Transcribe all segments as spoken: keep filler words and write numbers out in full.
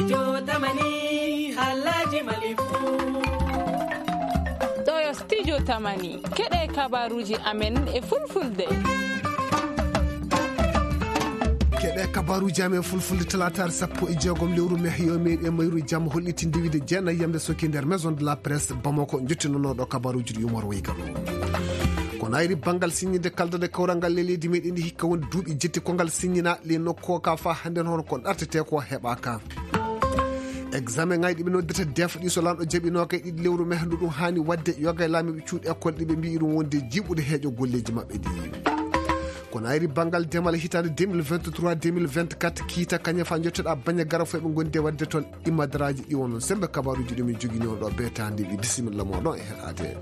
Jotamani, Alhaji Malifu. Ɗo yo Studio Tamani, keɗe kabaruji amen e fulfulde. Keɗe kabaruji amen fulfulde, talataare sappo e jeegom lewru mai, yo meɗe mayru jamma, hollitinde wiide jeenayi yamde soki nder Maison de la Presse Bamako, jottinonoɗo kabaruji ɗi Umar Waygalo. Ko nayri bangal signinde kaldal e kawral ngal e leydi meɗen ndi, hikka woni duuɓi jetti ko ngal signina, le nokko ka fa hande hono ko ɗartete ko heɓaka. Examen ngaji ɗi ɓe noddata def ɗi, so lanɗo jaɓi nogay ɗiɗi lewru mai, ndu ɗum hani wadde yoga e laamiɓe cuuɗi école ɗi ɓe mbi'i ɗum wonde jiɓude heeƴo golleji maɓɓe ɗi. Ko nayri bangal demal hitande deux mille vingt-trois, deux mille vingt-quatre, kiita kañum fa jottoɗa baña gara fo ɓe gondi e wadde toon imadaraji ɗi wonon sembe kabaruji ɗum e jogini on ɗo be tande ɗi. Bisimilla mo ɗon e heɗade.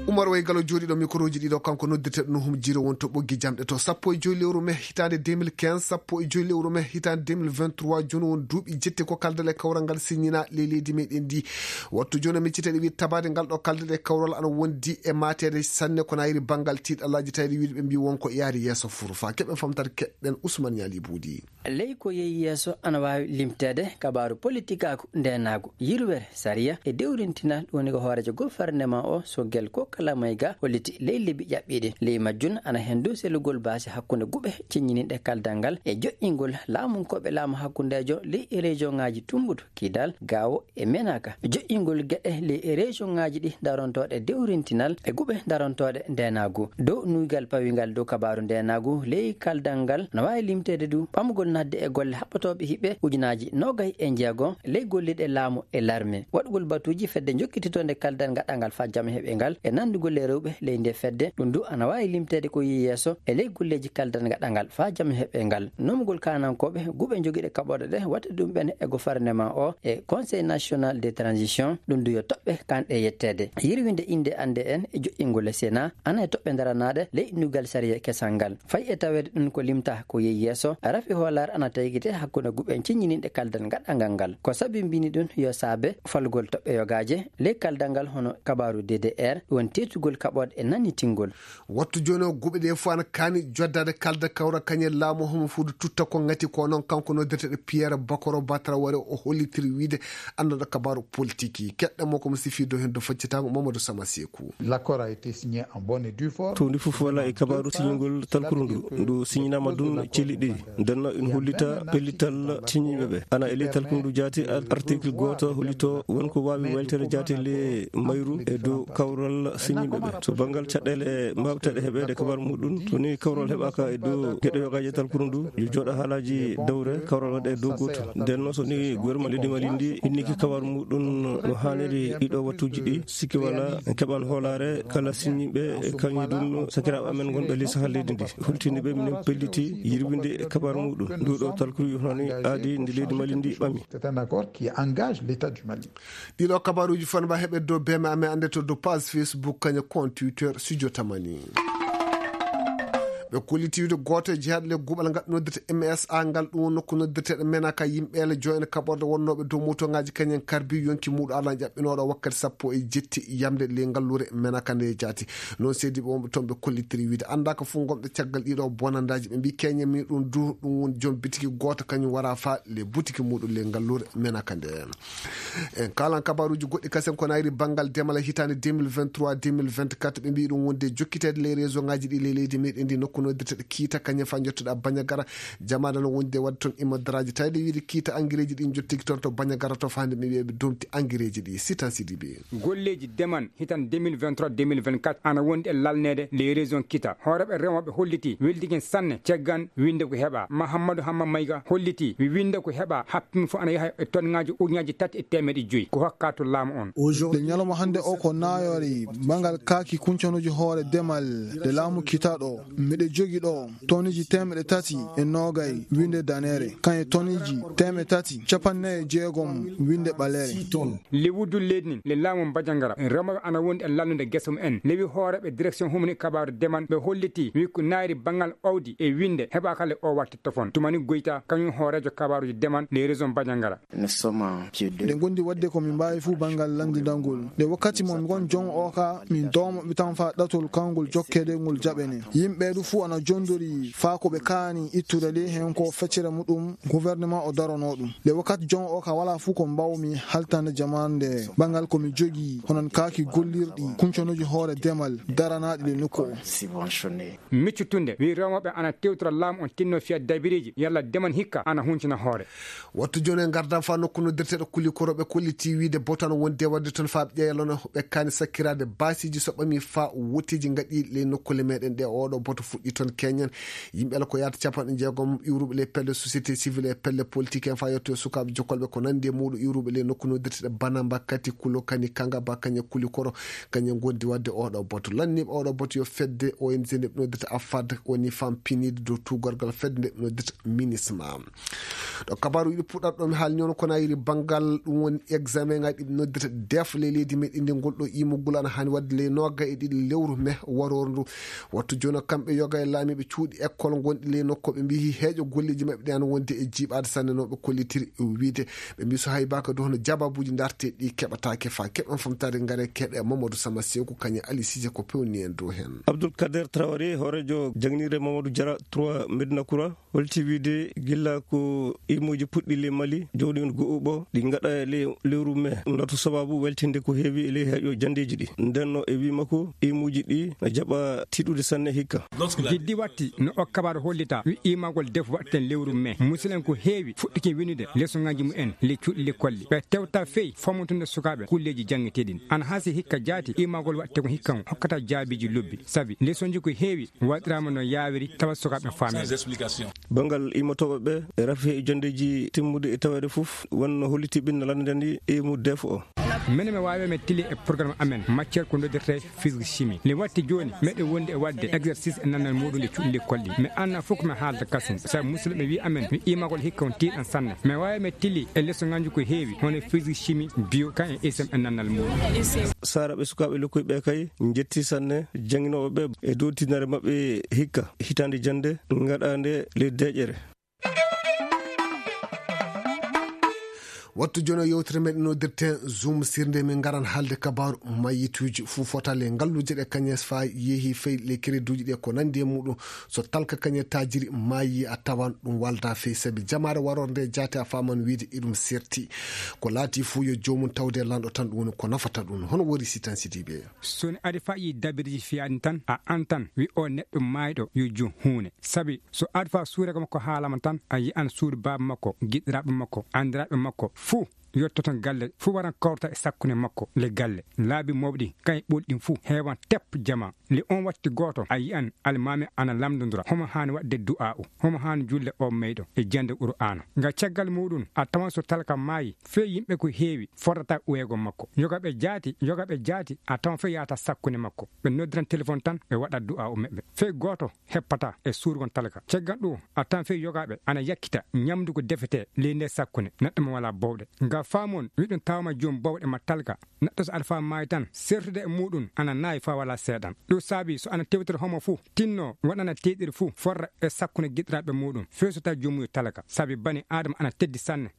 Umar Waygalo jooɗiɗo microji ɗiɗo, kanko noddirteɗo Nuhum Jiro won to ɓoggi jamɗe to sappo e joyi lewru mai hitande deux mille quinze, sappo e joyi lewru mai hitande deux mille vingt-trois, joni won duuɓi jetti ko kaldal e kawral ngal signina le leydi meɗen ndi. Wattu joni micciteɗe wi tabade ngal ɗo kaldal e kawral ana wondi e matede sanne ko nayri bangal tiiɗalaji tayri wiide ɓe mbi won ko yaari yeeso furu fa keɓen famtata keɗɗen Ousmane Ñali Buudi. Ley ko yehi yeeso ana waawi limteede kabaaru politikaaku, ndeenaagu, yirwere, sariya e dewrintinal, ɗum woni ko hooreejo gofarnemaa o, Sogel Kokala Mayga, holliti ley lebbi ƴaɓɓiiɗi. Ley majjum ana heen dow sellugol baasi hakkunde guɓe ceññininɗe kaldal ngal e joƴƴingol laamunkooɓe laamu hakkundeejo ley e rejoŋaaji Tumbutu, Kidal, Gaawo e Menaka, joƴƴingol geɗe ley e rejoŋaaji ɗi darontooɗe dewrintinal e guɓe darontooɗe ndeenaagu. Dow nuygal pawingal dow kabaaru ndeenaagu ley kaldal ngal, no waawi limteede du ɓamugol naatde e golle haɓɓotooɓe hiɓɓe ujunaaji noogay e njeego ley golliɗe laamu e larme. Waɗugol batuuji fedde jokkititoonde kaldal gaɗangal faa jam heɓe ngal e nanndugol e rewɓe ley nde fedde, ɗum du ana waawi limteede ko yehi yeeso e ley golleeji kaldal gaɗangal faa jam heɓe ngal. Nomugol kaanankooɓe guɓe jogiiɗe kaɓorɗe ɗe waɗde ɗum ɓen e gofarnemaa o e Conseil National de Transition, ɗum du yo toɓɓe kanɗe yetteede. Yirwinde innde annde en e joƴƴingol e Sénat, ana e toɓɓe daranaaɗe ley innugol sariya kesal ngal. Fay e taweede ɗum ko limtaa ko yehi yeeso, rafi hoolaare ana taygitee hakkunde guɓe ceññininɗe kaldal gaɗangal ngal. Ko sabimbini ɗum yo saabe falgol toɓɓe yogaaje ley kaldal ngal hono kabaaru D D R, ɗum woni teetugol kaɓorɗe e nannitingol. Wattu jooni o guɓe ɗe fof ana kaani joddaade kaldal kawral kañum e laamu homo fuudu tutta ko ngati ko noon kanko noddirteɗo Pierre Bakoro Batara Ware o hollitiri wiide annduɗo kabaaru politique yi. Keɗɗen mo ko mo sifi dow heen dow faccitango Mamadou Sama Seeku. L'accord a été signé en bonne et due forme. Towdi fof wala e kabaaru siñingol talkuru ndu. Ndu siñinaama dun celi ɗiɗi. Ndenno ina hollita pellital siñiiɓe ɓe. Ana e ley talkuru ndu jaati ar-, article gooto hollito won ko waawi weltere jaati le mayru e dow kawral siñiiɓe ɓe. So banngal caɗeele mbaawteeɗe heɓeede kabaru muɗum, so ni kawral heɓaaka e dow geɗe yogaaji e talkuru ndu, yo jooɗo haalaaji dowre kawral waɗa e dow gooto. Nden noon so ni gouvernement leydi Mali ndi inniki kabaru muɗum no haaniri ɗiɗo wattuuji ɗi, sikki wala en keɓan hoolaare kala siñiiɓe e kañum ɗum sakiraaɓe amen ngonɓe ley sahal leydi ndi. Hultini ɓe minen pelliti yirwinde e kabaru muɗum. Ndu ɗo talkuru yo hani aadi ndi leydi Mali ndi ɓami. C'est un accord qui engage l'État du Mali. Ɗiɗo kabaruuji fon mba heɓe dow beme amen annde to dow page Facebook kañum compte Twitter Studio Tamani. Ɓe kolliti wiide gooto e jeyaɗo le guɓal ngal noddirte M S A ngal ɗum woni nokku noddirteɗo Menaka yimɓe ele joyne kaɓorɗe wonnooɓe dow motoŋaaji kañum en karbi yonki muɗum ala jaɓɓinooɗo wakkati sappo e jetti yamde le ngallure Menaka nde jaati. Noon seediiɓe wonɓe toon ɓe kollitiri wiide anndaaka fof ngonɓe caggal ɗiɗo bonandaaji ɓe mbi keñen mi ɗum du ɗum woni joom bitiki gooto kañum wara fa le butiki muɗum le ngallure Menaka nde. En kalan kabaruuji goɗɗi kasen ko nayri banngal demal e hitaande deux mille vingt-trois deux mille vingt-quatre ɓe mbi ɗum wonde jokkiteede ley réseau ngaji ɗi ley leydi meɗen ndi nokku noddirteɗo kiita kañum fa jottoɗa Bañagara jamaɗa no wondi e wadde toon imadaraaji tawde wiide kiita angireeji ɗi jottiki toon to Bañagara to fa hannde ɓe mbiya ɓe domti angireeji ɗi Sitan Sidibe. Golleeji demal hitan deux mille vingt-trois deux mille vingt-quatre ana wondi e lalneede ley région Kita. Hooreeɓe remooɓe holliti weldiki sanne caggal winnde ko heɓa. Mahammadu Hamma Mayga holliti wi winnde ko heɓa happima fof ana yaha e tonŋaaji ujunnaaji tati e teemeɗe joyi ko hokka to laamu on. Nde ñalawma hannde o ko nayoore bangal kaaki kuncanuuji hoore demal nde laamu Kita ɗo. Miɗo jogi ɗo toniji teemeɗe tati e noogay winnde daneere, kañe toniji teemeɗe tati capanɗe nayi e jeegom winnde ɓaleere. Le wuddu leydi ndin, le laamu Bajangara, remooɓe ana wondi e lalnude gese mum en. Lewi hooreeɓe direction humani kabaaru demal, ɓe holliti, wi ko naayri banngal awdi e winnde heɓaaka le o wattu tofon. Tumani Goyta, kañum hooreejo kabaaruji demal, le région Bajangara. Nous sommes en pied d'œuvre. Nde gondi wadde ko min mbaawi fuu banngal lanndindangol. Nde wakkati mon ngon jon o ka, min doomo ɓe tan faa ɗatol kawngol jokkeede ngol jaɓene. Yimɓe du fuu Wano jondori faa ko ɓe kaani ittude ley heen ko feccere muɗum gouvernement o daronoo ɗum. Le wakkati jon o ka walaa fuu ko mbaawmi haltande jamaande banngal ko mi jogii honon kaaki gollirɗi kuncanooji hoore demal daranaaɗi le nokku o. Miccu tunde wi rewmoɓe ana tewtora laamu on tinno fiya dabiriiji yalla deman hikka ana huncina hoore. Wattu jooni en ngardan faa nokku noddirteeɗo kuli koroɓe kolliti wiide boto ana wondi e waɗde toon faa ɓe ƴeeya lona ɓe kaani sakkiraade baasiiji so ɓami faa wotteeji ngaɗi ley nokkule meɗen ɗe oɗo boto fuɗɗi toon keñen. Yimɓe ala ko yaata capanɗe jeegom iwruɓe ley pelle société civile e pelle politique en faa yetto e sukaaɓe jokkolɓe ko nandi e muuɗo iwruɓe ley nokku noddirteeɗe banamba kati kulo kani kanga ba kañe kuli koro kañe ngondi waɗde oɗo boto lanniɓe oɗo boto yo fedde ong nde ɓe noddirta afad woni femme pinide dow tugorgal fedde nde ɓe noddirta minisma. Ɗo kabaaru yiɗi puɗɗat ɗo mi haalni on kono a yiri banngal ɗum woni examen ngaji ɗi ɓe noddirta def ley leydi meɗen ndi ngol ɗo imugol ana haani waɗde ley nooga e ɗiɗi lewru me waroor ndu. Wattu jooni kamɓe yoga e laamiiɓe cuuɗi école ngonɗi ley nokku ɓe mbiyi heeƴo golleeji maɓɓe ɗi ana wonde e jiiɓaade sanne no ɓe kollitiri wiide. Ɓe mbiyi so hay baka dow hono jababuuji ndarte ɗi keɓataake faa keɓen famtaade ngare keɗe mamadou sama seeku kañe ali sise ko pewni en dow heen. Abdoul kader traoré hooreejo jaŋnirde mamadou jara trois medina koura holti wiide gilla ko imuuji puɗɗi ley mali jawdi on go'uɓo ɗi ngaɗa e ley lewru me ndoto sababu weltinde ko heewi e ley heƴo jandeeji ɗi ndenno e wii makko imuuji ɗi na jaɓa tiɗude sanne hikka. Giddi watti no o kabaru hollita wi imagol defu waɗten lewru me musidɗen ko heewi fuɗɗikin winude lesoŋaaji mumen ley cuuɗi lekkolli ɓe tewta fey fomotunde sukaaɓe kulleeji jaŋŋeteeɗin ana hasi hikka jaati imagol waɗte ko hikkan hokkata jaabiiji lobbi sabi lesonji ko heewi waɗiraama no yaawiri tawa sukaaɓe faamii. Banngal immotooɓe ɓe e rafi e jonndeeji timmude e taweede fof wonno holliti ɓinna lanndani e mu def o. Mene mi waawi mi tili e programme amen matière ko noddirte physique chimie le watti jooni meɗen wondi e waɗde exercice e nannal muɗum e cuɗli kolli mi anna fof ko mi haalta kasum sabu musidɗo ɓe wi amen mi imagol hikka on tiiɗan sanne mi waawi mi tili e lesoŋaaji ko heewi hono physique chimie bio kan e isem e nannal muɗum. Sara ɓe sukaaɓe lokkoy ɓe kay njetti sanne jannginooɓe ɓe e dow tinare maɓɓe hikka hitaande jannde ngaɗaande ley deeƴere. Wattu jono yewtere meɗen noddirten zoom sirde min ngaran haalde kabaru mayyituuji fuu fotale ngalluuje ɗe kañes fa yehi fey le créduuji ɗe ko nandi e muɗum so talka kañe taajiri maayi a tawan ɗum walda fey sabi jamaare warorde jaate a faman wiide iɗum serti ko laati fuu yo joomum tawde lanɗo tan ɗum woni ko nafata ɗum hono wori sitan sidiɓe. Soni ari fa yi dabiriji fiyani tan a antan wi o neɗɗo mayɗo yo jum huune sabi so adfa suure ko makko haalama tan a yi'an suudu baaba makko giɗɗiraaɓe makko anndiraaɓe makko fuu yottoto galle fuu waran kawrata e sakkunde makko le galle laabi mawɗi kay ɓolɗin fuu heewan tep jama le on watti gooto a yi'an almaami ana lamndondura homo haani waɗde du'aa'u homo haani julle o meyɗo e jannde qur'aana nga caggal muɗum a tawan so talka maayi fey yimɓe ko heewi fotata uweego makko yoga ɓe jaati yoga ɓe jaati a tawan fey yahata sakkunde makko ɓe noddiran telefon tan ɓe waɗa du'aa'u meɓɓe fey gooto heppata e suurgon talka caggal ɗum a tan fey yogaaɓe ana yakkita ñamdu ko defetee ley nde sakkunde neɗɗo mo walaa bowɗe nga faamon wiɗum tawama joom bowɗe ma talka neɗɗo so aɗa faa maayi tan sertude e muɗum ana naawi faa walaa seeɗan ɗum saabi so ana tewtira homo fuu tinno waɗana teyɗiri fuu forra e sakkunde giɗɗiraaɓe muɗum fey so tawi joomuyo talka saabi bani aadama ana teddi sanne.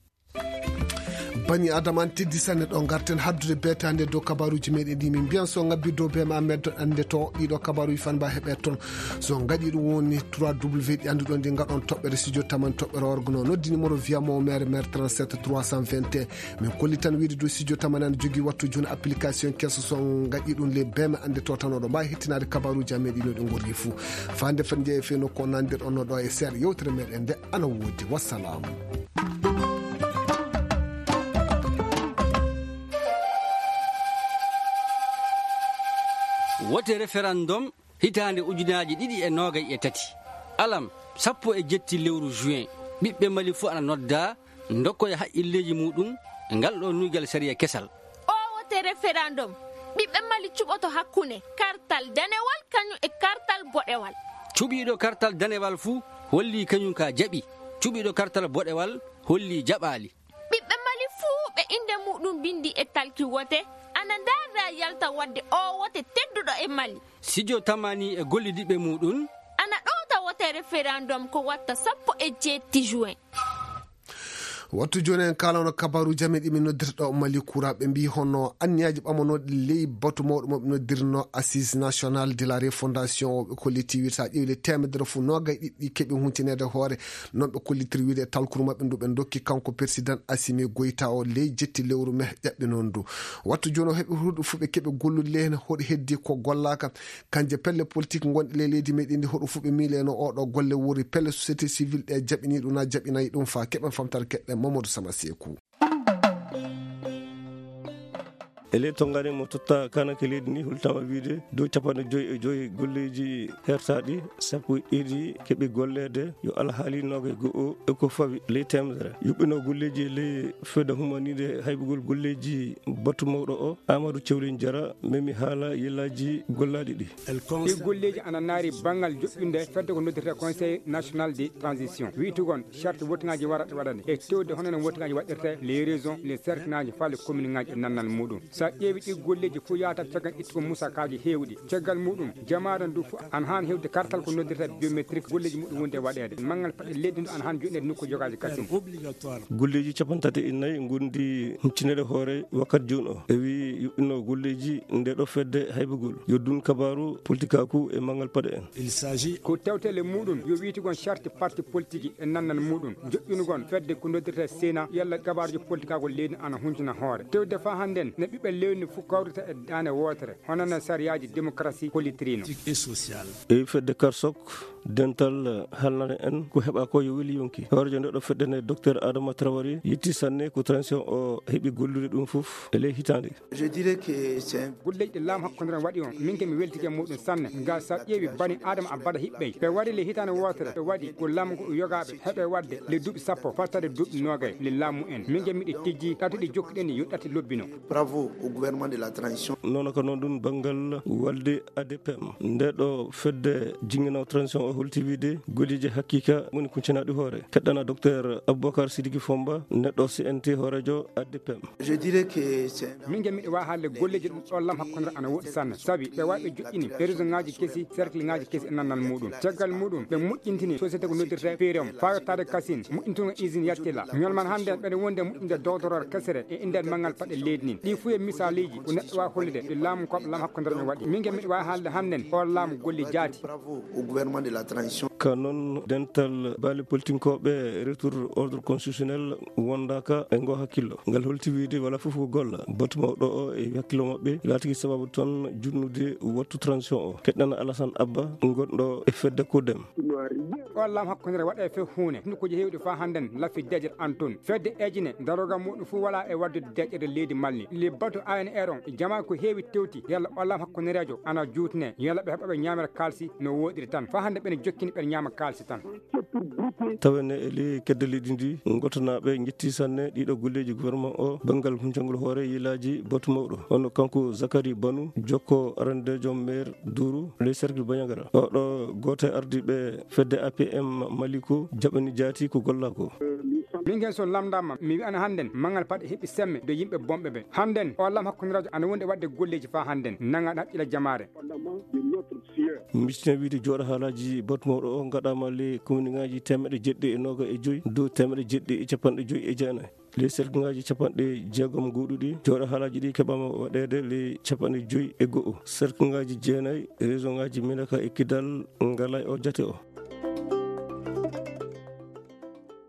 Bani adama an teddi sanne ɗo garten haddude beetande dow kabaruji meɗen ɗi min mbiyan so ngabbi dow be ma meddo ande to ɗiɗo kabaruji fan mba heɓe toon so ngaɗi ɗum woni trois w ɗi annduɗon ɗi ngaɗon toɓɓere studio taman toɓɓere orgono noddi numéro wiyamo mere mere trente-sept trois cent vingt et un min kolli tan wiide dow studio taman an jogui wattu joni application keso so ngaɗi ɗum le bema ande to tan oɗo mbawi hettinaade kabaruji amen ɗino ɗi gorri fou fande fen jeeya fe nokku o nandirɗon no ɗo e seeɗa yewtere meɗen nde ana woodi wassalamu. Wote referendum hitaande ujunaaji ɗiɗi e noogay e tati, alam sappo e jetti lewru juin, ɓiɓɓe Mali fof ana noddaa ndokkoya haqqilleeji muuɗum e ngal ɗoo nuygal sariya kesal. Oo wote referendum, ɓiɓɓe Mali cuɓoto hakkunde kartal danewal kañum e kartal boɗewal. Cuɓiiɗo kartal danewal fuu hollii kañum ka jaɓi, cuɓiiɗo kartal boɗewal hollii jaɓaali. Ɓiɓɓe Mali fuu ɓe innde muuɗum binndi e talki wote, ana ndaarda yalta waɗde oo wote tedduɗo e Mali. Sidio Tamani e gollidiɓɓe muuɗum. Ana ɗowta wote referendum ko watta sappo e jeetti juin. Wattu jooni en kaalano kabaaruuji amen ɗi min noddirta ɗo Mali Kura. Ɓe mbii hono anniyaaji ɓamanooɗi ley batu mawɗo mo ɓe noddirno Assise Nationale de la Refondation o ɓe kolliti wirta ƴeewle teemedere fof noogay ɗiɗi keɓi huncineede hoore. Noon ɓe kollitiri wiide e talkuru maɓɓe ndu ɓe ndokki kanko Persidan Asimi Goyta o ley jetti lewru me ƴaɓɓi noon ndu. Wattu jooni o heɓi huɗo fuɓe keɓe gollude ley heen hoɗo heddi ko gollaaka. Kanje pelle politik ngonɗe ley leydi meɗen ndi hoɗo fuɓe miileno oɗo golle wori pelle société civile ɗe jaɓini ɗum na jaɓinayi ɗum fa keɓen famtare keɗɗe Mamadou Sama Seeku. E ley tonngane mo totta kanake leydi ndi, hultama wiide dow capanɗe joyi e joyi golleeji hertaaɗi, sappo e ɗiɗi keɓi golleede, yo alhaali noogay go'o e ko fawi ley teemedere. Yuɓɓino golleeji e ley fedde humanide haybugol golleeji batu mawɗo o, Amadou Cewlin Jara, memi haala yellaaji gollaaɗi ɗi. Ɗi golleeji ana naari banngal joƴƴunde fedde ko noddirta Conseil National de Transition. Wiytugon charte wotingaaji wara ɗe waɗane. E tewde hono no wotingaaji waɗirta les régions, les cercleaaji, faa les communeaaji e nannal muɗum. So a ƴeewi ɗi golleeji fof yaata caggal ittugo musakaaji heewɗi. Caggal muɗum, jamaare ndu fof ana haani heɓde kartal ko noddirta biométrique, golleeji muɗum wonde waɗeede. Manngal paɗe leydi ndu ana haani joɗɗineede nokku jogaaji kasin. Golleeji capanɗe tati e nayi ngondi huncineede hoore wakkati jooni o. E wi yuɓɓino golleeji nde ɗo fedde haybugol. Yo dun kabaaru politikaaku e manngal paɗe en. Ko tewtele muɗum yo wiytugon charte parti politique e nannal muɗum. Joƴƴunugol fedde ko noddirta Sénat, yalla kabaaruji politikaaku leydi ana huncina hoore. Tewde faa hannden ne ɓiɓɓe leydi fof kawrita e daande wootere, hono no sariyaaji démocratie hollitirino. E fedde Karsok, dental halnare en ko heɓa ko yo weli yonki. Hoorejo nde ɗo fedde nde, Docteur Adama Traoré, yetti sanne ko transition o heɓi gollude ɗum fof e ley hitaande. Je dirais que c'est un Golleeji ɗi laamu hakkunde ren waɗi on, min ke mi weltike e muɗum sanne. Nga sa ƴeewi bani Adama Abada hiɓɓey. Ɓe wari le hitaande wootere, ɓe waɗi ko laamu ngu yogaaɓe heɓe waɗde le duuɓi sappo, fattade duuɓi noogay le laamu en. Min ke miɗi tijji ɗati ɗi jokkuɗen yo ɗati lobbino. Bravo au gouvernement de la transition. Nono ko noon ɗum banngal walde A D P M. Nde ɗo fedde jingino transition o holti wiide golleeji haqiqa woni kuncanaɗi hoore. Keɗɗana Docteur Aboubacar Sidiki Fomba, neɗɗo C N T hoorejo A D P M. Je dirais que c'est Min ke miɗo waawi haalde golleeji ɗum ɗo lam hakkunde ana woɗɗi sanne. Sabi ɓe waɗi ɓe joƴƴini e région ŋaaji kesi, cercle ŋaaji kesi e nannal muɗum. Caggal muɗum ɓe moƴƴintini société ko noddirta P R M, faa yottaade Kasin, moƴƴintungo usine Yattila. Ñolman hannde ɓeɗe wonde moƴƴinde dowtoror kesere e indal manngal paɗe leydi nin. Ɗi fof e misaaliji ko neɗɗo waawi hollude ɗi laamu koɓe lam hakkunde no waɗi. Min ke miɗo waawi haalde hannden o laamu golle jaati. Bravo au gouvernement de la transition. Ka noon dental baali politinkooɓe retour ordre constitutionnel wondaaka e ngo hakkillo. Ngal holti wiide wala fof ko golla. Batu mawɗo o e hakkillo maɓɓe laatiki sababu toon junnude wattu transition o. Keɗɗana Alassane Abba ngonɗo e fedde Kodem. O lam hakkunde waɗa e few huune. Nokkuuji heewɗi faa hannden lafi deeƴere an toon. Fedde ejine daroga muɗum fof wala e waddude deeƴere leydi Mali. Le batu A N R on, jama ko heewi tewti, yalla o lam hakkundereejo ana juutne, yalla ɓe heɓa ɓe ñaamira kaalsi no wooɗiri tan. Faa hannde ɓene jokkini ɓen ñaama kaalsi tan. Tawene e ley kedde leydi ndi, ngotanaaɓe njetti sanne ɗiɗo golleeji gouvernement o, banngal huncangol hoore yilaaji batu mawɗo. Hono kanko Zakari Banu, jokko arandeejo maire Duru, ley cercle Bandiagara. Oɗo gooto e ardiiɓe fedde A P M Mali ko jaɓani jaati ko golla ko. Min gen so lamndama, mi wi'ana hannden, manngal paɗe heɓi semme do yimɓe bonɓe ɓe. Hannden, o lam hakkundereejo ana wondi e waɗde golleeji faa hannden, nanga haqqila jamaare. Mistine wiide jooɗo haalaaji batu mawɗo o ngaɗaama ley kominŋaaji teemeɗɗe jeɗɗi e nooga e joyi, dow teemeɗɗe jeɗɗi e capanɗe joyi e jeenayi. Ley cercleŋaaji capanɗe jeegom nguuɗuɗi, jooɗo haalaaji ɗi keɓaama waɗeede ley capanɗe joyi e go'o. Cercleŋaaji jeenayi, région ŋaaji Minaka e Kidal ngalaa e o jate o.